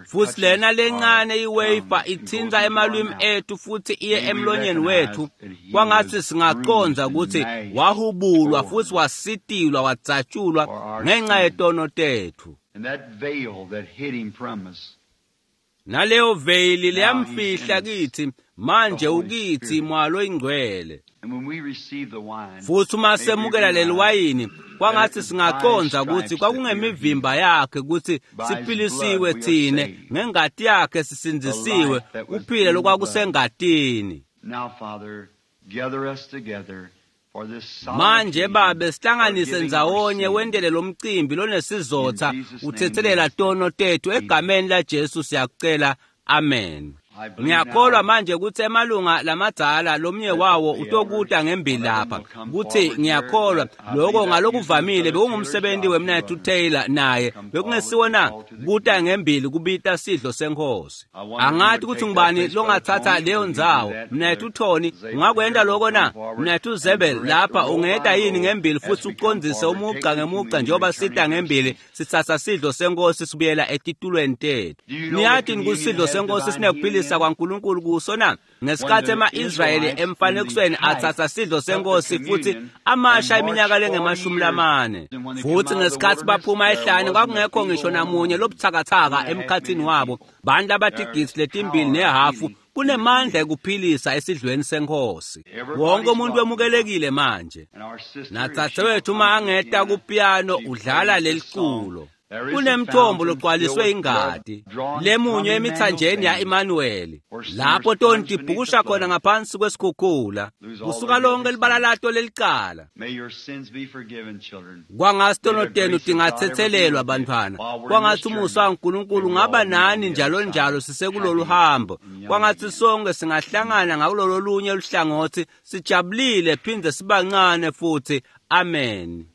Futhi lena lencane iwafer ithinta emalwimi ethu futhi iye emlonyeni wethu, kwangathi singacondza kutsi wahubulwa futhi wasitilwa wadzatshulwa ngenxa yetono tethu. Naleyo veyili leyamfihla kithi manje ukithi mwalo ingcwele. Futhi uma semukela leli wayini, kwangathi singacondza kutsi kwakungemivimba yakhe kutsi siphilisiwe thine, ngengati yakhe sisindzisiwe, kuphila lokwakusengatini. Manje babe, sihlanganise ndzawonye wentele lo mcimbi lonesizotha, uthetselela tono tethu. Egameni laJesu siyakucela, amen. Ngiyakholwa manje kutsi emalunga lamadzala lomnye wawo utokuta ngembili lapha. Kutsi ngiyakholwa lokho ngalokuvamile bekungumsebenzi wemnaketfu Taylor naye bekungesiwo na kuta ngembili kubita sidlo senkosi. Angathi kutsi ngubani longatsatsa leyo ndzawo. Mnaketfu Tony, ungakwenta lokho na? Mnaketfu Zebel lapha, ungeta yini ngembili futhi ucondzise umugca ngemugca njengoba sita ngembili sitsatsa sidlo senkosi sibuyela etitulweni tethu. Niyati kusidlo senkosi sinekuphilisa kwaNkulunkulu kuso na? Ngesikhathi ema-Israyeli emfanekisweni atsatsa sidlo senkosi futhi amasha iminyaka lengemashumi lamane. Futhi ngesikhathi baphuma ehlane kwakungekho ngisho namunye lobuthakathaka emkhathini wabo. Bantu abatigidzi letimbili nehafu kunemandla ekuphilisa esidlweni senkosi. Wonke umuntu wemukelekile manje. Natsatse uma angeta kupiano udlala leliculo. Kunemthombo logcwaliswe ingati lemunye emithanjeni ya-Emmanuel, lapho toni tibhukusha khona ngaphansi kwesikhukhula, kusuka lonke libala lato lelicala. Kwangatsi tono tenu tingatsetselelwa bantfwana, kwangatsi umusa waNkulunkulu ungaba nani njalo njalo sisekulolu hambo, kwangatsi sonke singahlangana ngakulolo lunye luhlangotsi sijabulile phindze sibancane futhi. Amen.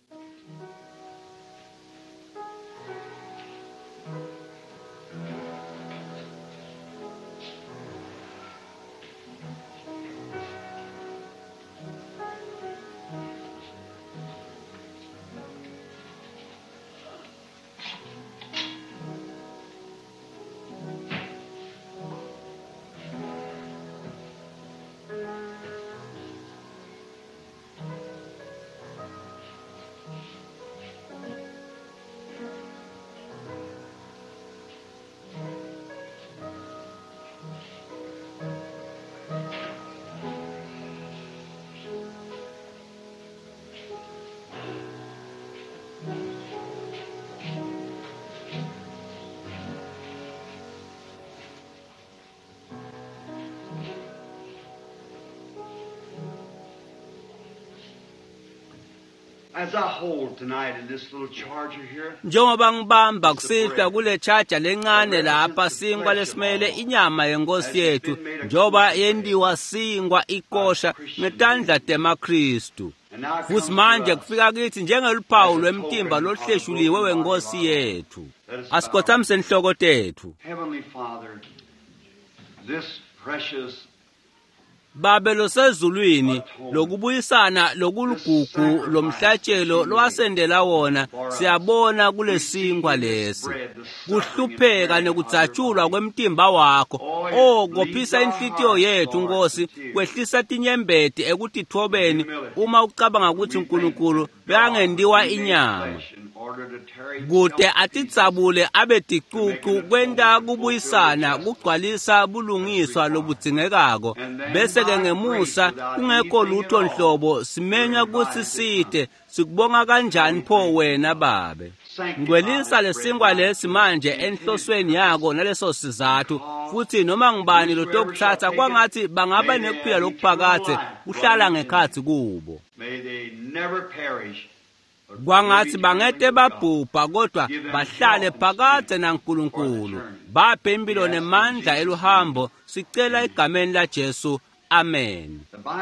As I hold tonight in this little charger here, Njengoba ngibamba kusihlwa kule charger lencane lapha sinkwa lesimele inyama yenkosi yethu njengoba yendiwa sinkwa ikosha ngetandla temaKristu. and now it Futhi comes to manje us. kufika kithi njengeluphawu lwemtimba lohleshuliwe wenkosi yethu. Asikhothamise inhloko tethu. Heavenly Father, this precious Babe losezulwini lokubuyisana lokuligugu lomhlatshelo lowasendela wona siyabona kulesinkwa lesi kuhlupheka nekudzatshulwa kwemtimba wakho o kophisa inhlitiyo yethu Nkosi kwehlisa tinyembeti ekutithobeni uma ucabanga ukuthi uNkulunkulu bekangendiwa inyama flesh in order to tear kute himself to pieces. atitsabule abe ticucu kwenta kubuyisana kugcwalisa bulungiswa lobudzingekako bese-ke ngemusa kungekho lutho nhlobo simenywa kutsi site sikubonga kanjani pho wena babe ngcwelisa lesinkwa lesi manje enhlosweni yako naleso sizathu futhi noma ngubani lotokutsatsa kwangathi bangaba nekuphila lokuphakadze kuhlala ngekhatsi kubo May they never perish. but kwangathi live bangete eternally with God. babhubha kodwa bahlale phakadze naNkulunkulu baphe impilo nemandla eluhambo sicela egameni laJesu amen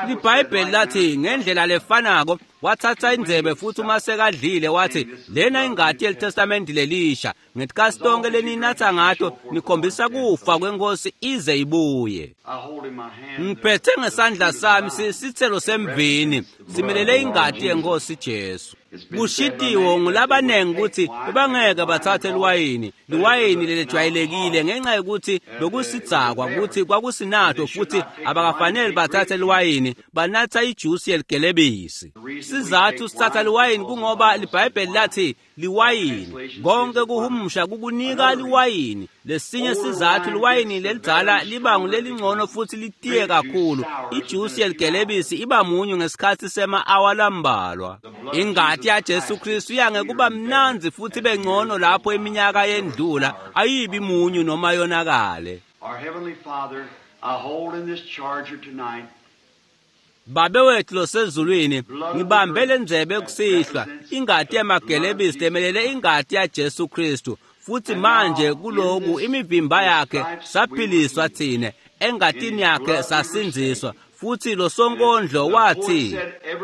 libhayibheli lathi ngendlela lefanako wathatha indzebe futhi uma sekadlile wathi lena ingati yelitestamenti lelisha ngetikasi tonke leninatha ngato nikhombisa kufa kwenkosi ize ibuye I hold in my hand ngiphethe the ngesandla fruit of the sami vine. sithelo semvini simelele ingati yenkosi Jesu kushitiwo ngulabanengi ukuthi bebangeke bathathe liwayini liwayini lelejwayelekile ngenxa yokuthi bekusidzakwa ukuthi kwakusinatho futhi abakafanele bathathe liwayini banatha ijusi yeligelebisi sizathu sithatha liwayini kungoba libhayibheli lathi liwayini konke kuhumusha kukunika liwayini lesinye sizathu liwayini lelidzala liba ngulelingcono futhi litiye kakhulu ijusi yeligelebisi iba munyu ngesikhathi sema-awa lambalwa ingati yaJesu Kristu iyange kuba mnandzi futhi ibe ngcono lapho iminyaka yendlula ayibi munyu noma yonakale Our Heavenly Father, I hold in this charger tonight Babe wethu losezulwini ngibambe lendzebe kusihlwa ingati yamagelebisi lemelele ingati yaJesu Kristu futhi manje kuloku imivimba yakhe saphiliswa thine engatini yakhe sasindziswa futhi lo sonkondlo wathi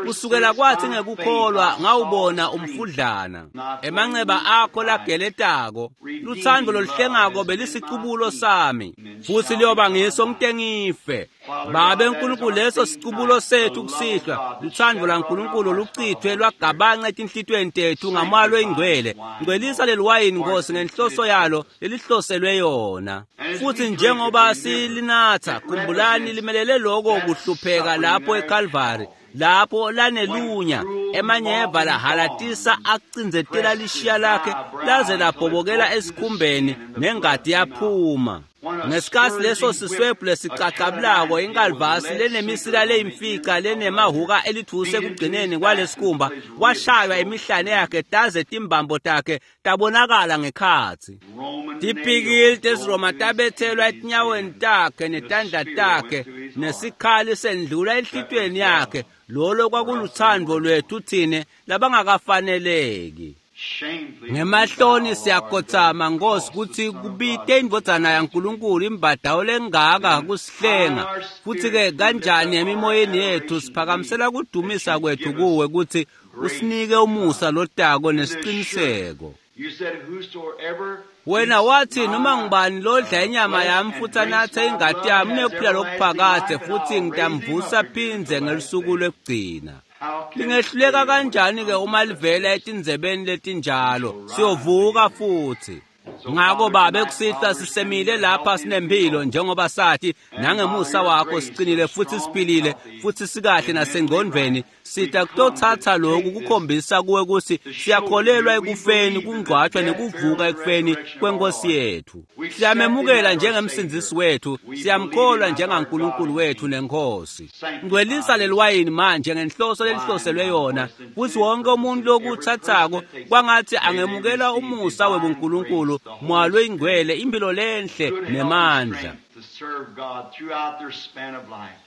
kusukela kwathi ngekukholwa ngawubona umfudlana emanceba akho lageletako luthando loluhlengako belisicubulo sami futhi liyoba ngiso ngite ngife babe nkulunkulu leso sicubulo sethu kusihlwa luthando lwankulunkulu luchithwe lwagabanca etinhlitiyweni tethu ngamoya loyingcwele ngcwelisa leli wayini nkosi ngenhloso yalo lelihloselwe yona futhi njengoba silinatha khumbulani limelele loko kuhlupheka lapho eKalvari lapho lanelunya emanyeva lahalatisa acindzetela lishiya lakhe laze labhobokela esikhumbeni nengati yaphuma ngesikhathi leso siswebhu lesicacabulako inkalvasi lenemisila leyimfica lenemahuka elithuse ekugcineni kwalesikhumba washaywa imihlane yakhe taze timbambo takhe tabonakala ngekhatsi Roman tipikili nails tesiroma drove through his tabethelwa hands etinyaweni and takhe the netandla spear takhe went through his heart. nesikhali sendlula enhlitiyweni yakhe lolo kwakuluthando lwethu thine labangakafaneleki Shamefully, ngemahloni we bow, siyakhotsama Lord, nkosi that kutsi the Son of kubite God indvodzana yaNkulunkulu imbadawo lengaka kusihlenga futhi-ke kanjani emimoyeni yethu siphakamisela kudumisa kwethu kuwe kutsi usinike umusa lotako nesiciniseko You said, whosoever wena eats wathi my, noma ngubani lodla inyama flesh yami and futhi drinks anathe my ingati blood yami has unephila everlasting lokuphakadze life, and futhi I'll raise him ngitamvusa up again phindze the last ngelusuku day. lwekugcina How can it lingehluleka fail when it kanjani-ke comes uma to livela such etindzebeni letinjalo siyovuka futhi So, ngako Father, babe tonight, kusihlwa while we're sisemile standing lapha healthy and sinemphilo well, njengoba sathi and nangemusa by your wakho grace, siqinile we're futhi strong, siphilile healthy, futhi sikahle and mentally nasengqondweni right. We sita come to kutothatha lokhu take this kukhombisa kuwe kutsi to show siyakholelwa you we ekufeni believe in the kungcwatshwa death, nekuvuka burial, and ekufeni resurrection of our kwenkosi Lord. yethu We accept him siyamemukela as our njengemsindzisi Savior. wethu We believe him siyamkholwa as our God njengankulunkulu and wethu King. nenkosi Sanctify ngcwelisa this leli wayini manje ngenhloso wine lelihloselwe now yona for its futhi intended wonke purpose, umuntu and every person lokuthathako that takes it, kwangathi may they angemukela receive umusa divine webunkulunkulu grace, the moya Holy Spirit, loyingcwele impilo lenhle good health and nemandla strength to serve God throughout their span of life.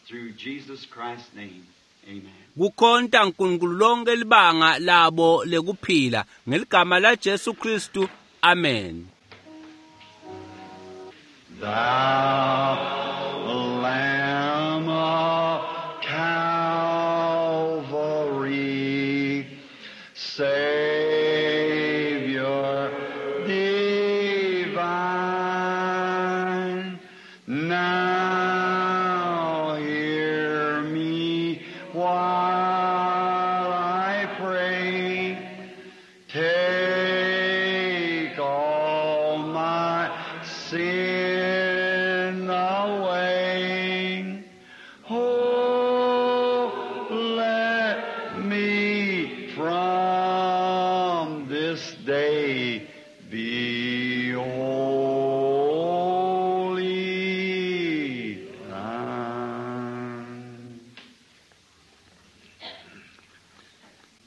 Through Jesus Christ's name. Kukhonta uNkulunkulu lonke libanga labo lekuphila ngeligama la Jesu Kristu. Amen. Thou Lamb of Calvary, Savior divine, now hear me while I pray. Take all my sin away. Oh, let me from this day be holy.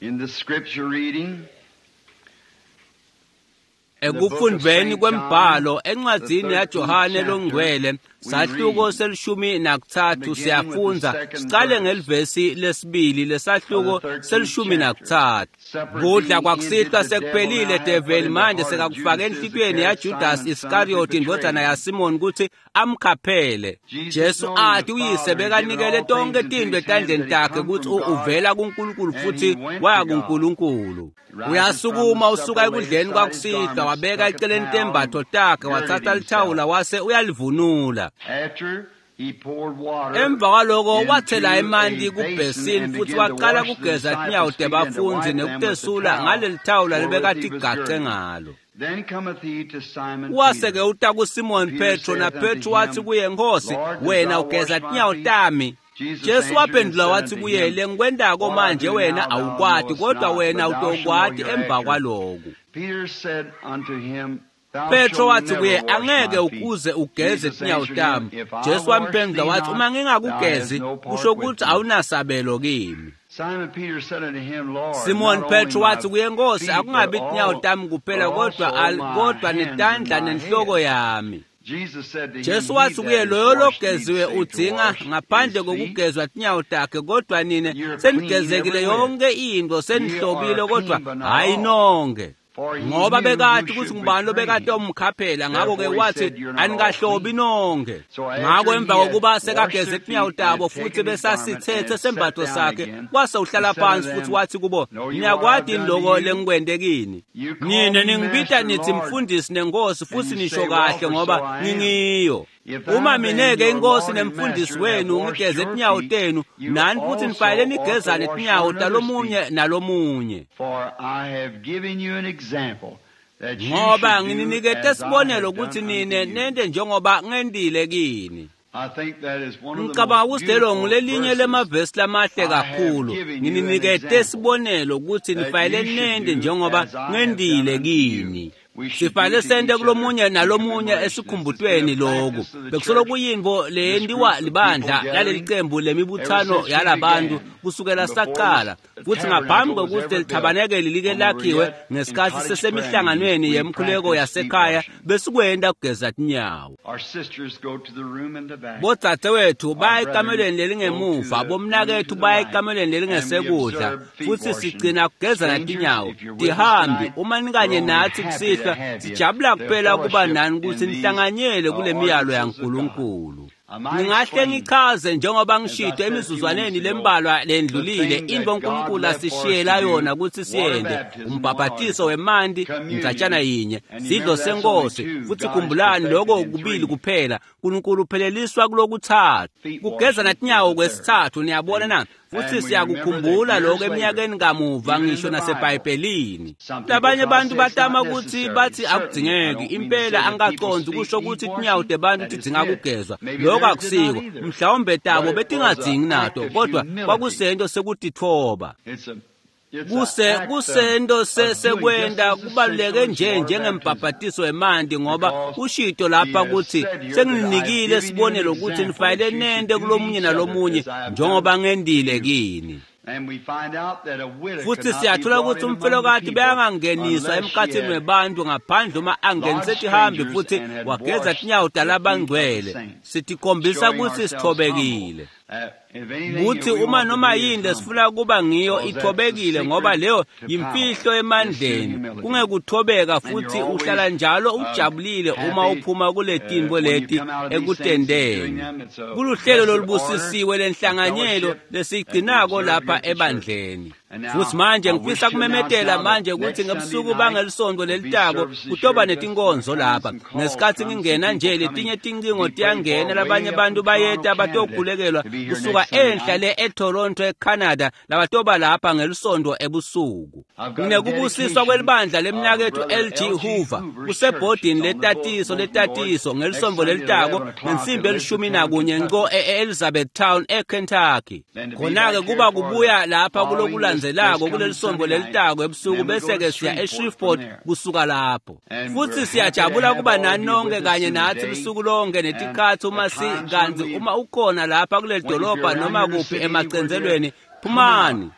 In the scripture reading, Ekufundweni kwembhalo encwadzini yaJohane longcwele sahluko se-13 siyafundza sicale ngelivesi lesibili lesahluko se-13. Kudla kwakusihlwa sekuphelile, develi manje sekakufaka enhlitiyweni yaJudas Iskariyoti indvodzana yaSimoni kutsi amkhaphele. Jesu athi uyise bekanikele tonke tintfo etandleni takhe kutsi uvela kuNkulunkulu futsi waya kuNkulunkulu. Uyasukuma usuka ekudleni kwakusihlwa wabeka eceleni tembatfo takhe watsatsa lithawula wase uyalivunula. Emva kwaloko wathela emanti kubhesini futhi waqala kugeza tinyawo tebafundzi nekutesula ngaleli thawula lebekatigace ngalo. Wase-ke uta kuSimoni Petro, na Petro wathi kuye, Nkosi, wena ugeza tinyawo tami. Jesu waphendula wathi kuye, lengikwentako manje wena awukwati, kodwa wena utokwati emva kwaloku. Petro wathi kuye, angeke ukuze ugeze tinyawo tami. Jesu wamphendula wathi, uma ngingakugezi kusho ukuthi awunasabelo kimi. Simon Petro wathi kuye, Nkosi, akungabi tinyawo tami kuphela kodwa netandla nenhloko yami. Jesu wathi kuye, loyo logeziwe udzinga ngaphandle kokugezwa tinyawo takhe, kodwa nine senigezekile yonke into, senihlobile, kodwa hayi nonke. Ngoba bekati ukuthi ngubani lobekade omkhaphela, ngakho-ke wathi anikahlobi nonke. Ngakho emva kokuba sekageze tinyawo tabo futhi besasithethe sembatho sakhe, wase uhlala phansi futhi wathi kubo, niyakwati yini loko lengikwente kini? Nine ningibita nithi mfundisi nenkosi, futhi nisho kahle ngoba ngingiyo. Uma mineke inkosi nemfundisi wenu ngigeze tinyawo tenu, nani futhi nifanele nigezane tinyawo talomunye nalomunye. Ngoba ngininikete sibonelo kutsi nine nente njengoba ngentile kini. Ngicabanga ukuthi lelo ngulelinye lemavesi lamahle kakhulu. Ngininikete sibonelo kutsi nifanele nente njengoba ngentile kini. Sifanele sente kulomunye nalomunye esikhumbutweni loku. Bekusolo kuyintfo leyentiwa libandla laleli cembu lemibuthano yalabantu kusukela saqala, futhi ngaphambi kwekutsi lithabanekeli like lakhiwe ngesikhatsi sesemihlanganweni yemkhuleko yasekhaya besikwenta kugeza tinyawo. Bodzadzewethu baya ekamelweni lelingemuva, bomnaketfu baya ekamelweni lelingesekudla, futhi sigcina kugezana tinyawo. Tihambi, uma nikanye natsi kusihlwa, sijabula kuphela kuba nani kutsi nihlanganyele kule miyalo yaNkulunkulu. Ngingahle ngichaze njengoba ngishito emizuzwaneni lembalwa lendlulile intfo uNkulunkulu asishiyela yona kutsi siyente, umbhabhatiso wemanti, indzatshana yinye, sidlo senkosi, futhi khumbulani loko kubili kuphela. uNkulunkulu upheleliswa kulokuthathu, kugezana tinyawo kwesithathu. Niyabona na? Futhi siyakukhumbula lokho eminyakeni kamuva ngisho naseBhayibhelini. Labanye bantu batama ukuthi bathi akudzingeki, impela angikacondzi kusho ukuthi tinyawo tebantu tidzinga kugezwa. Lokho akusiko, mhlawumbe tabo betingadzingi nato, kodwa kwakusento sekutitfoba. Kusento sekwenta kubaluleke nje njengembhabhatiso wemanti, ngoba ushito lapha ukuthi sengininikile sibonelo ukuthi nifanele nente kulomunye nalomunye njengoba ngentile kini. Futhi siyathola ukuthi umfelokati beyangangeniswa emkhathini webantu ngaphandle uma angenise tihambi futhi wageza tinyawo talabangcwele. Sitikhombisa ukuthi sithobekile. Kuthi uma noma yini lesifuna kuba ngiyo ithobekile, ngoba leyo yimfihlo emandleni, kungekuthobeka, futhi uhlala njalo ujabulile uma uphuma kule tintfo leti ekutendeni. Kuluhlelo lolubusisiwe lenhlanganyelo lesigcinako lapha ebandleni. Futhi manje ngifisa kumemetela manje ukuthi ngebusuku bangelisonto lelitako kutoba netinkonzo lapha. Ngesikhathi ngingena nje letinye tincingo tiyangena, labanye abantu bayeta batokhulekelwa kusuka enhla le eToronto eCanada, labatoba lapha ngelisonto ebusuku. Nginekubusiswa kwelibandla lemnaketfu LG Hoover kusebhodini letatiso ngelisonto lelitako ngensimbi 11 nko e-Elizabethtown eKentucky. Khona-ke kuba kubuya lapha kulokulandzelako kulelisonto lelitako ebusuku, bese-ke siya eShreveport kusuka lapho. Futhi siyajabula kuba nani nonke kanye nathi lusuku lonke netikhatsi uma kanti uma ukhona lapha kuleli dolobha noma kuphi emacentselweni, phumani.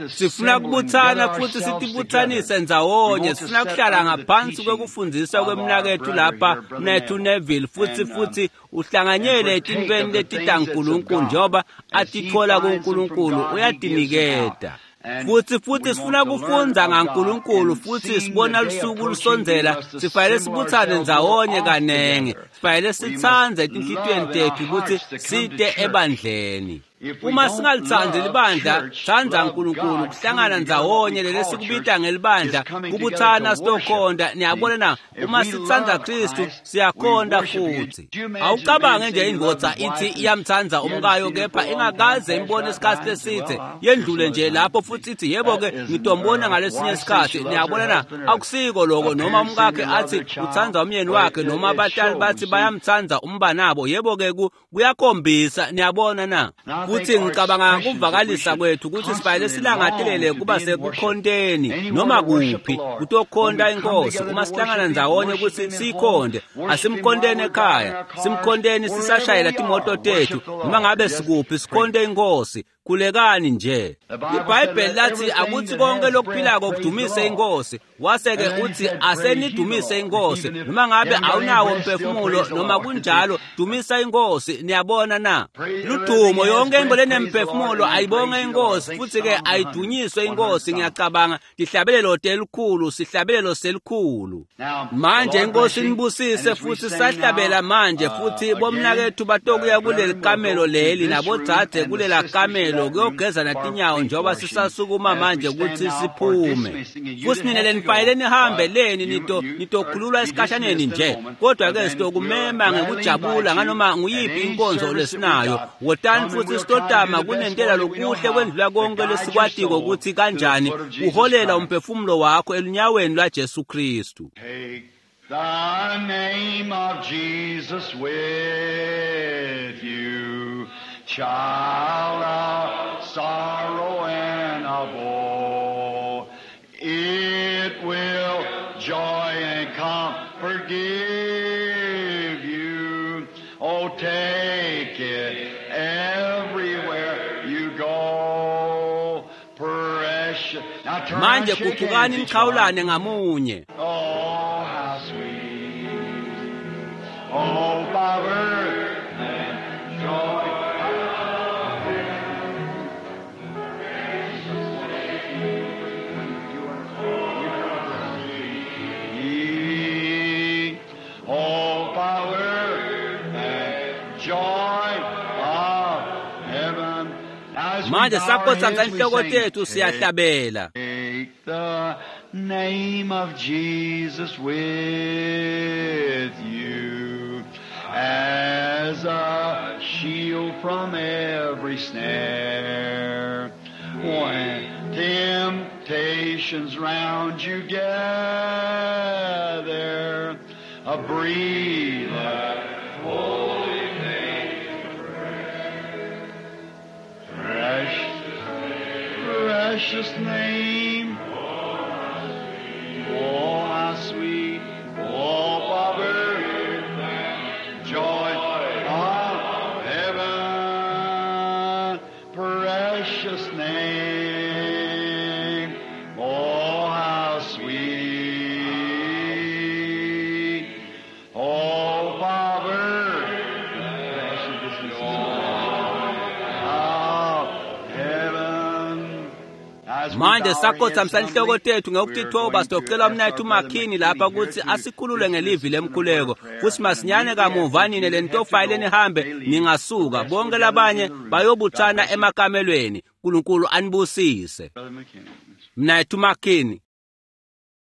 Sifuna kubuthana futhi sitibuthanise ndzawonye. Sifuna kuhlala ngaphansi kwekufundisa kwemnaketfu lapha, mnaketfu Neville, futhi uhlanganyele etintfweni letitaNkulunkulu njengoba atitfola kuNkulunkulu, uyatiniketa. Futhi sifuna kufundza ngaNkulunkulu, futhi sibona lusuku lusondzela, sifanele sibuthane ndzawonye kanenge, sifanele sitsandze etinhlitiyweni tetfu kutsi site ebandleni. Uma singalitsandzi libandla, tsandza uNkulunkulu, kuhlangana ndzawonye lesikubita ngelibandla, kubuthana sitokhonta. Niyabona na, uma sitsandza Kristu siyakhonta futhi. Awucabange nje indvodza ithi iyamtsandza umkayo, kepha ingakaze imbone isikhathi lesithe, yendlule nje lapho futhi ithi yebo-ke ngitombona ngalesinye isikhathi. Niyabona na, akusiko loko. Noma umkakhe athi utsandza umyeni wakhe, noma abatali bathi bayamtsandza umbanabo, yebo-ke kuyakhombisa. Niyabona na. Futhi ngicabanga kuvakalisa kwethu ukuthi sifanele silangatelele kuba sekukhonteni noma kuphi kutokhonta inkosi. Uma sihlangana ndzawonye ukuthi siyikhonte, asimkhonteni ekhaya, simkhonteni sisashayela timoto tethu, noma ngabe sikuphi, sikhonte inkosi. Khulekani nje. IBhayibheli lathi akuthi konke lokuphilako kudumise inkosi, wase-ke uthi asenidumise inkosi. Noma ngabe awunawo umphefumulo, noma kunjalo dumisa inkosi. Niyabona na, ludumo yonke into lenemphefumulo ayibonge inkosi, futhi-ke ayidunyiswe inkosi. Ngiyacabanga tihlabelelo telikhulu, sihlabelelo selikhulu. Manje inkosi nibusise. Futhi sahlabela manje, futhi bomnakethu batokuya kuleli kamelo leli, nabodzadze kulela kamelo kuyogeza natinyawo njengoba sisasukuma manje ukuthi siphume. Futhi nina lenifanele nihambe leni, nitokhululwa esikhashaneni nje, kodwa-ke sitokumema ngekujabula nganoma nguyiphi inkonzo lesinayo. Wotani futhi sitotama kunentela lokuhle kwendlula konke lesikwatiko ukuthi kanjani uholela umphefumulo wakho elunyaweni lwaJesu Kristu. Take the name of Jesus with you, child of sorrow and of woe. It will joy and comfort give you. Oh, take it everywhere you go. Precious. Now turn Manje and shake gucukani hands each one. nikhawulane ngamunye. Oh, how sweet. Oh, power and joy. Oh, power and joy of heaven. Now as we Manje bow our sakhothamisa heads, we inhloko sing, tethu siyahlabela. Take the name of Jesus with you as a shield from every snare. When temptations round you gather, a breathe that holy name. Precious, precious name. Oh, how sweet, oh, power, joy of heaven, precious name. Oh, how sweet, oh, power. Manje sakhothamisa inhloko tethu ngekutitfoba, sitocela umnaketfu McKinney lapha kutsi asikhulule ngelivi lemkhuleko, futsi masinyane kamuva nine lenitofayile nihambe ningasuka, bonke labanye bayobuthana emakamelweni. Nkulunkulu anibusise. Brother McKinney. Mnaketfu McKinney.